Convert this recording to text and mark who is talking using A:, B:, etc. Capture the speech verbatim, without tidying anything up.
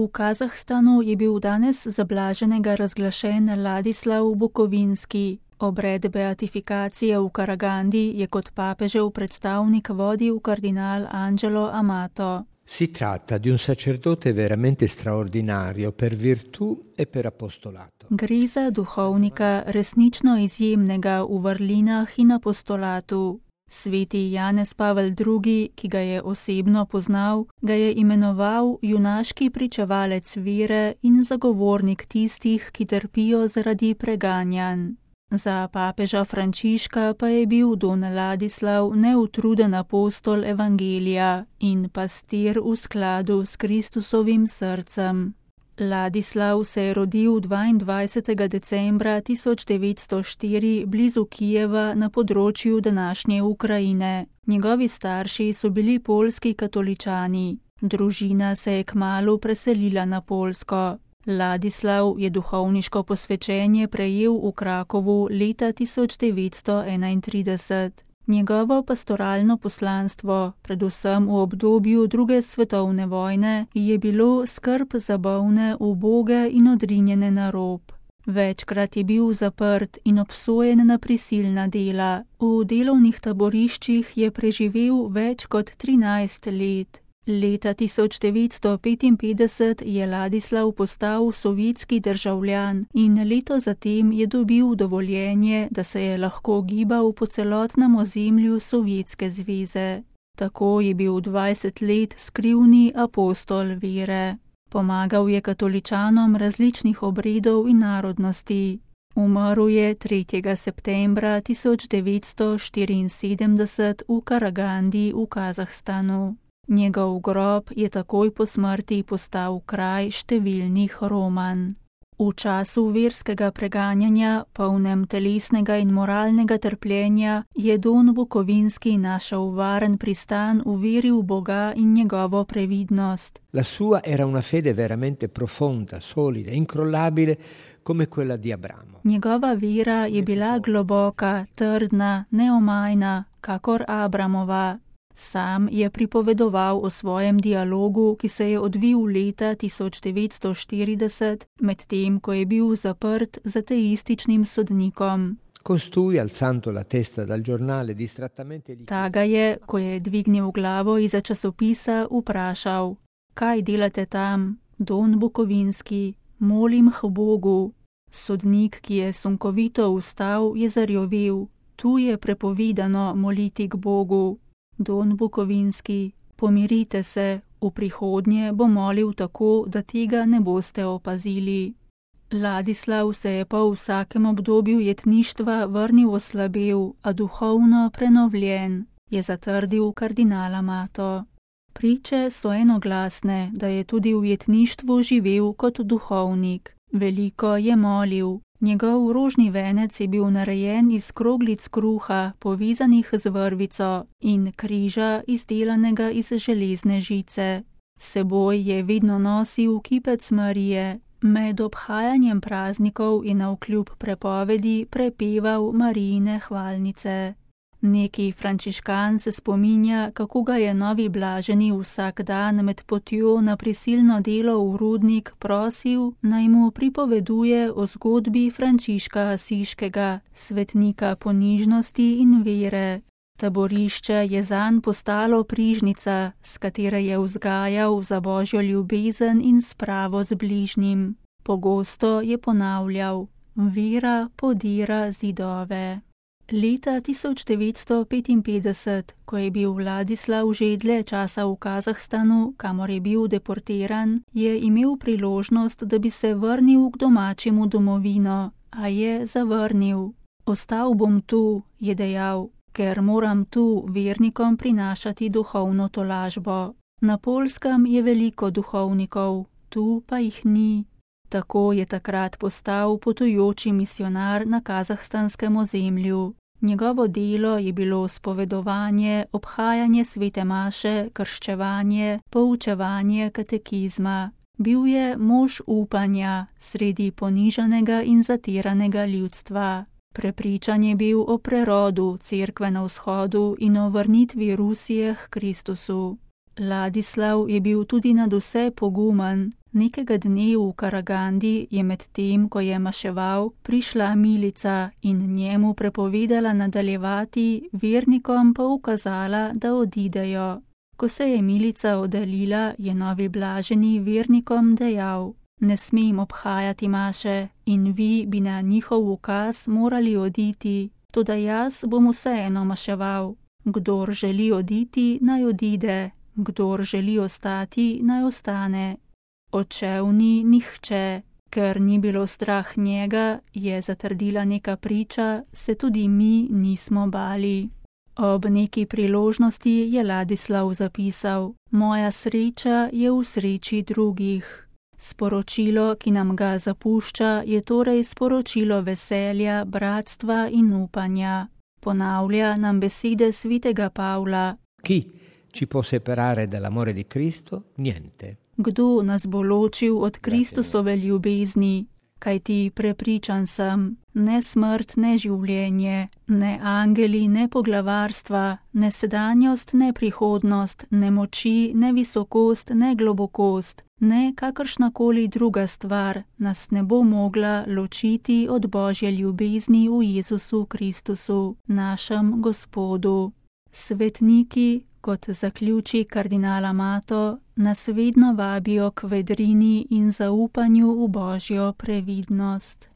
A: V Kazahstanu je bil danes za blaženega razglašen Ladislav Bukovinski. Obred beatifikacije v Karagandi je kot papežev predstavnik vodil kardinal Angelo Amato.
B: Si tratta di un sacerdote veramente straordinario per virtù e per apostolato.
A: Gre za duhovnika resnično izjemnega v vrlinah in apostolatu. Sveti Janez Pavel drugi, ki ga je osebno poznal, ga je imenoval junaški pričevalec vere in zagovornik tistih, ki trpijo zaradi preganjanj. Za papeža Frančiška pa je bil don Ladislav neutruden apostol evangelija in pastir v skladu s Kristusovim srcem. Ladislav se je rodil dvaindvajsetega decembra tisoč devetsto štiri blizu Kijeva na področju današnje Ukrajine. Njegovi starši so bili poljski katoličani. Družina se je kmalu preselila na Poljsko. Ladislav je duhovniško posvečenje prejel v Krakovu leta tisoč devetsto enaintrideset. Njegovo pastoralno poslanstvo, predvsem v obdobju druge svetovne vojne, je bilo skrb za bolne, uboge in odrinjene na rob. Večkrat je bil zaprt in obsojen na prisilna dela. V delovnih taboriščih je preživel več kot trinajst let. Leta tisoč devetsto petinpetdeset je Ladislav postal sovjetski državljan in leto zatem je dobil dovoljenje, da se je lahko gibal po celotnem ozemlju Sovjetske zveze. Tako je bil dvajset let skrivni apostol vere. Pomagal je katoličanom različnih obredov in narodnosti. Umrl je tretjega septembra tisoč devetsto štiriinsedemdeset v Karagandi v Kazahstanu. Njegov grob je takoj po smrti postal kraj številnih romanj. V času verskega preganjanja, polnem telesnega in moralnega trpljenja, je don Bukovinski našel varen pristan v veri v Boga in njegovo previdnost.
B: La sua era una fede veramente profonda, solida, incrollabile, come quella di Abramo.
A: Njegova vera je bila globoka, trdna, neomajna, kakor Abramova. Sam je pripovedoval o svojem dialogu, ki se je odvil leta tisoč devetsto štirideset, medtem ko je bil zaprt z ateističnim sodnikom.
B: Costui, alzando la testa dal giornale, distrattamente gli...
A: Ta ga je, ko je dvignil glavo izza časopisa, vprašal: "Kaj delate tam, don Bukovinski? Molim k Bogu." Sodnik, ki je sunkovito vstal, je zarjovel: "Tu je prepovedano moliti k Bogu." Don Bukovinski, pomirite se, v prihodnje bo molil tako, da tega ne boste opazili. Ladislav se je po vsakem obdobju jetništva vrnil oslabel, a duhovno prenovljen, je zatrdil kardinal Amato. Priče so enoglasne, da je tudi v jetništvu živel kot duhovnik. Veliko je molil. Njegov rožni venec je bil narejen iz kroglic kruha, povezanih z vrvico, in križa, izdelanega iz železne žice. Seboj je vedno nosil kipec Marije. Med obhajanjem praznikov je navkljub prepovedi prepeval Marijine hvalnice. Neki frančiškan se spominja, kako ga je novi blaženi vsak dan med potjo na prisilno delo v rudnik prosil, naj mu pripoveduje o zgodbi Frančiška Asiškega, svetnika ponižnosti in vere. Taborišče je zanj postalo prižnica, s katere je vzgajal za božjo ljubezen in spravo z bližnjim. Pogosto je ponavljal: vera podira zidove. Leta tisoč devetsto petinpetdeset, ko je bil Ladislav že dlje časa v Kazahstanu, kamor je bil deportiran, je imel priložnost, da bi se vrnil k domačemu domovino, a je zavrnil. Ostal bom tu, je dejal, ker moram tu vernikom prinašati duhovno tolažbo. Na Poljskem je veliko duhovnikov, tu pa jih ni. Tako je takrat postal potujoči misionar na kazahstanskem ozemlju. Njegovo delo je bilo spovedovanje, obhajanje svete maše, krščevanje, poučevanje katekizma. Bil je mož upanja sredi ponižanega in zatiranega ljudstva. Prepričan je bil o prerodu cerkve na vzhodu in o vrnitvi Rusije k Kristusu. Ladislav je bil tudi nadvse pogumen. Nekega dne v Karagandi je med tem, ko je maševal, prišla milica in njemu prepovedala nadaljevati, vernikom pa ukazala, da odidejo. Ko se je milica oddaljila, je novi blaženi vernikom dejal: ne smem obhajati maše in vi bi na njihov ukaz morali oditi, toda jaz bom vseeno maševal. Kdor želi oditi, naj odide, kdor želi ostati, naj ostane. Odšel ni nihče, ker ni bilo strah njega, je zatrdila neka priča, se tudi mi nismo bali. Ob neki priložnosti je Ladislav zapisal: moja sreča je v sreči drugih. Sporočilo, ki nam ga zapušča, je torej sporočilo veselja, bratstva in upanja. Ponavlja nam besede svetega Pavla:
B: Chi ci può separare dall'amore di Cristo? Niente.
A: Kdo nas bo ločil od Kristusove ljubezni? Kajti prepričan sem, ne smrt, ne življenje, ne angeli, ne poglavarstva, ne sedanjost, ne prihodnost, ne moči, ne visokost, ne globokost, ne kakršnakoli druga stvar nas ne bo mogla ločiti od Božje ljubezni v Jezusu Kristusu, našem Gospodu. Svetniki, kot zaključi kardinal Amato, nas vedno vabijo k vedrini in zaupanju v Božjo previdnost.